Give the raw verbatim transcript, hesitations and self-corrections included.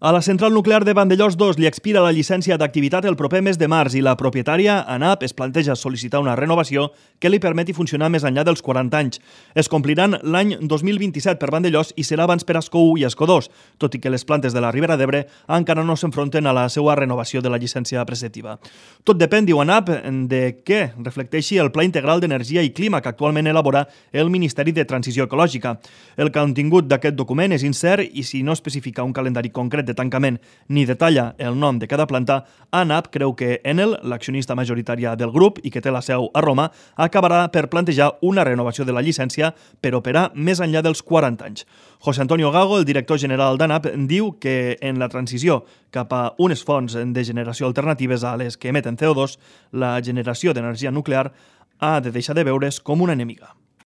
A la central nuclear de Vandellòs dos li expira la llicència d'activitat el proper mes de març i la propietària, ANAP, es planteja sol·licitar una renovació que li permeti funcionar més enllà dels quaranta anys. Es compliran l'any dos mil vint-i-set per Vandellòs i serà abans per Ascó u i Ascó dos, tot i que les plantes de la Ribera d'Ebre encara no s'enfronten a la seva renovació de la llicència preceptiva. Tot depèn, diu ANAP, de què reflecteixi el Pla Integral d'Energia i Clima que actualment elabora el Ministeri de Transició Ecològica. El contingut d'aquest document és incert i si no especifica un calendari concret de tancament ni detalla el nom de cada planta, ANAP creu que Enel, l'accionista majoritària del grup i que té la seu a Roma, acabarà per plantejar una renovació de la llicència per operar més enllà dels quaranta anys. José Antonio Gago, el director general d'ANAP, diu que en la transició cap a unes fonts de generació alternatives a les que emeten C O dos, la generació d'energia nuclear ha de deixar de veure's com una enemiga.